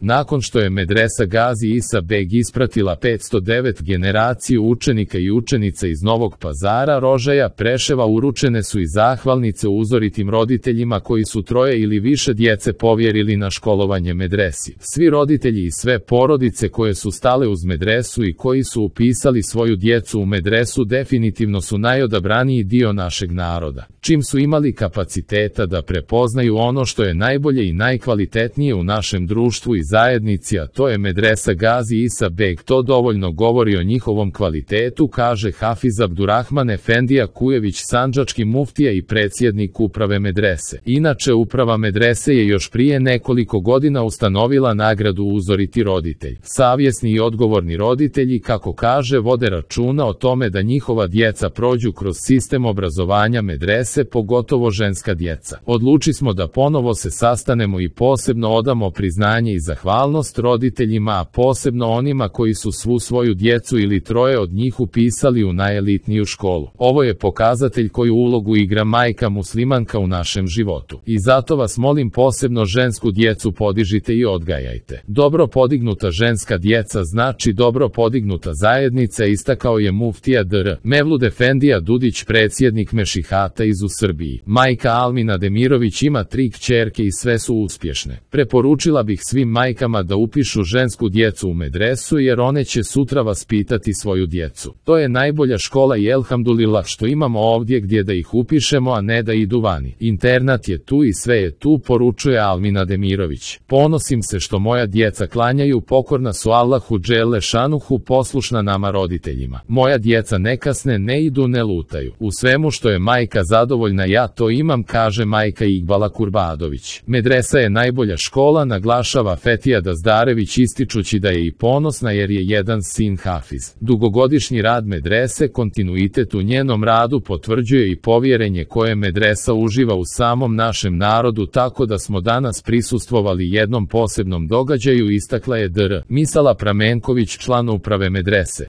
Nakon što je medresa Gazi Isa Beg ispratila 509 generaciju učenika i učenica iz Novog Pazara, Rožaja, Preševa, uručene su i zahvalnice uzoritim roditeljima koji su troje ili više djece povjerili na školovanje medresi. Svi roditelji i sve porodice koje su stale uz medresu i koji su upisali svoju djecu u medresu definitivno su najodabraniji dio našeg naroda. Čim su imali kapaciteta da prepoznaju ono što je najbolje i najkvalitetnije u našem društvu i zajednici, a to je medresa Gazi Isa Beg, to dovoljno govori o njihovom kvalitetu, kaže Hafiz Abdurrahman Efendija Kujević, sandžački muftija i predsjednik uprave medrese. Inače, uprava medrese je još prije nekoliko godina ustanovila nagradu Uzoriti roditelj. Savjesni i odgovorni roditelji, kako kaže, vode računa o tome da njihova djeca prođu kroz sistem obrazovanja medrese, pogotovo ženska djeca. Odluči smo da ponovo se sastanemo i posebno odamo priznanje i zahvalnost roditeljima, a posebno onima koji su svu svoju djecu ili troje od njih upisali u najelitniju školu. Ovo je pokazatelj koju ulogu igra majka muslimanka u našem životu. I zato vas molim, posebno žensku djecu podižite i odgajajte. Dobro podignuta ženska djeca znači dobro podignuta zajednica, istakao je muftija dr. Mevlud Efendija Dudić, predsjednik Mešihata iz u Srbiji. Majka Almina Demirović ima 3 kćerke i sve su uspješne. Preporučila bih svim majkama da upišu žensku djecu u medresu, jer one će sutra vaspitati svoju djecu. To je najbolja škola i elhamdulillah što imamo ovdje gdje da ih upišemo, a ne da idu vani. Internat je tu i sve je tu, poručuje Almina Demirović. Ponosim se što moja djeca klanjaju, pokorna su Allahu dželle šanuhu, poslušna nama roditeljima. Moja djeca ne kasne, ne idu, ne lutaju. U svemu što je majka zadovoljna ja to imam, kaže majka Iqbala Kurbadović. Medresa je najbolja škola, naglašava Fetija Dazdarević, ističući da je i ponosna jer je jedan sin hafiz. Dugogodišnji rad medrese, kontinuitet u njenom radu potvrđuje i povjerenje koje medresa uživa u samom našem narodu, tako da smo danas prisustvovali jednom posebnom događaju, istakla je dr. Misala Pramenković, član uprave medrese.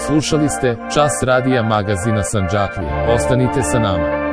Slušali ste Čas radija magazina Sandžaklija. Ostanite sa nama.